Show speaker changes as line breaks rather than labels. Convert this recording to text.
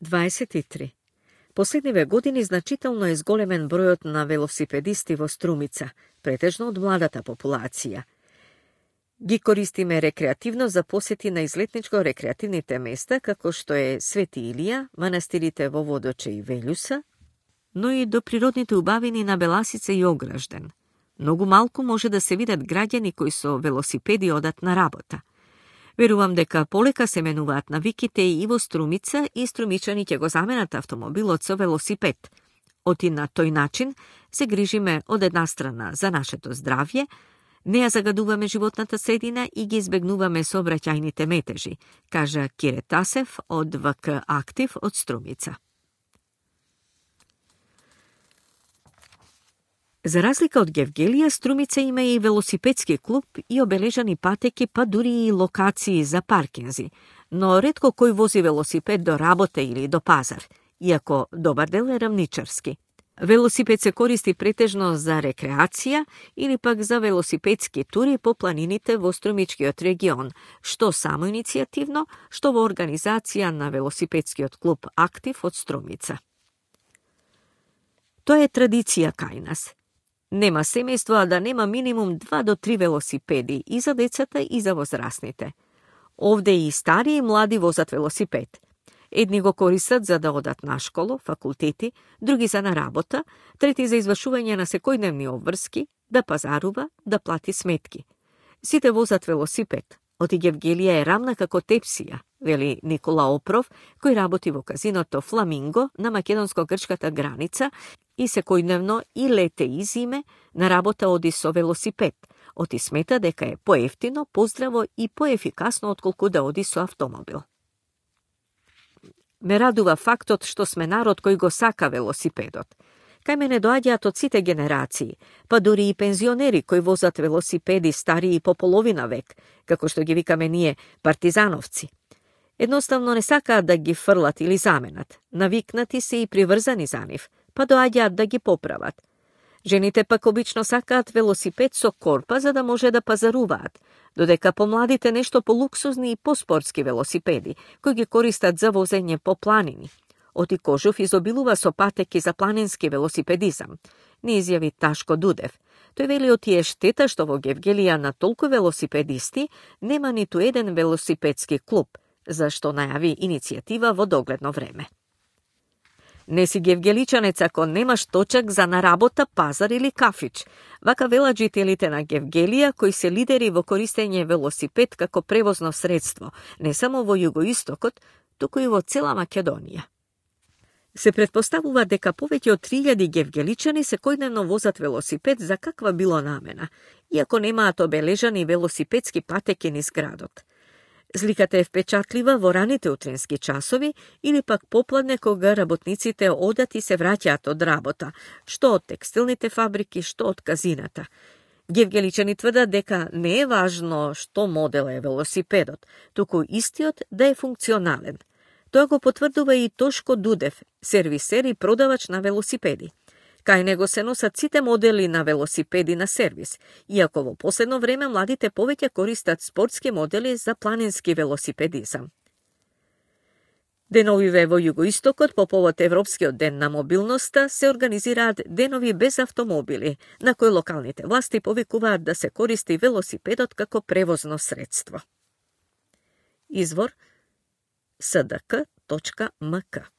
23. Последниве години значително е зголемен бројот на велосипедисти во Струмица, претежно од младата популација. Ги користиме рекреативно за посети на излетничко-рекреативните места, како што е Свети Илија, манастирите во Водоче и Велјуса, но и до природните убавини на Беласица и Огражден. Многу малку може да се видат граѓани кои со велосипеди одат на работа. Верувам дека полека се менуваат навиките и во Струмица и струмичани ќе го заменат автомобилот со велосипед. Оти на тој начин се грижиме од една страна за нашето здравје, не ја загадуваме животната средина и ги избегнуваме сообраќајните метежи, кажа Кире Тасев од ВК Актив од Струмица. За разлика од Гевгелија, Струмица има и велосипедски клуб и обележани патеки, па дури и локации за паркинзи, но ретко кој вози велосипед до работа или до пазар, иако добар дел е рамничарски. Велосипед се користи претежно за рекреација или пак за велосипедски тури по планините во Струмичкиот регион, што само иницијативно, што во организација на велосипедскиот клуб Актив од Струмица. Тоа е традиција кај нас. Нема семејство, а да нема минимум 2 до 3 велосипеди и за децата и за возрастните. Овде и стари и млади возат велосипед. Едни го користат за да одат на школо, факултети, други за на работа, трети за извршување на секојдневни обврски, да пазарува, да плати сметки. Сите возат велосипед. Оти Гевгелија е рамна како тепсија, вели Никола Опров, кој работи во казиното Фламинго на македонско-грчката граница и секојдневно и лете и зиме на работа оди со велосипед. Оти смета дека е поевтино, поздраво и поефикасно отколку да оди со автомобил. Ме радува фактот што сме народ кој го сака велосипедот. Кај мене доаѓаат од сите генерации, па дури и пензионери кои возат велосипеди старии по половина век, како што ги викаме ние партизановци. Едноставно не сакаат да ги фрлат или заменат, навикнати се и приврзани за нив, па доаѓаат да ги поправат. Жените пак обично сакаат велосипед со корпа за да може да пазаруваат, додека помладите нешто полуксузни и поспортски велосипеди, кои ги користат за возење по планини. Оти Кожув изобилува со патеки за планински велосипедизам, ни изјави Ташко Дудев. Тој вели оти е штета што во Гевгелија на толку велосипедисти нема ниту еден велосипедски клуб, зашто најави иницијатива во догледно време. Не си гевгеличанец ако немаш точак за на работа, пазар или кафич. Вака велат жителите на Гевгелија, кои се лидери во користење велосипед како превозно средство, не само во југоистокот, туку и во цела Македонија. Се претпоставува дека повеќе од 3000 гевгеличани секојдневно возат велосипед за каква било намена, иако немаат обележани велосипедски патеки низ градот. Зликата е впечатлива во раните утрински часови или пак попладне кога работниците одат и се враќаат од работа, што од текстилните фабрики, што од казината. Гевгеличани тврдат дека не е важно што модел е велосипедот, туку истиот да е функционален. Тоа го потврдува и Тошко Дудев, сервисер и продавач на велосипеди. Кај него се носат сите модели на велосипеди на сервис, иако во последно време младите повеќе користат спортски модели за планински велосипедизам. Деновиве во југоистокот по повод Европскиот ден на мобилноста се организираат денови без автомобили, на кои локалните власти повикуваат да се користи велосипедот како превозно средство. Извор sdk.mk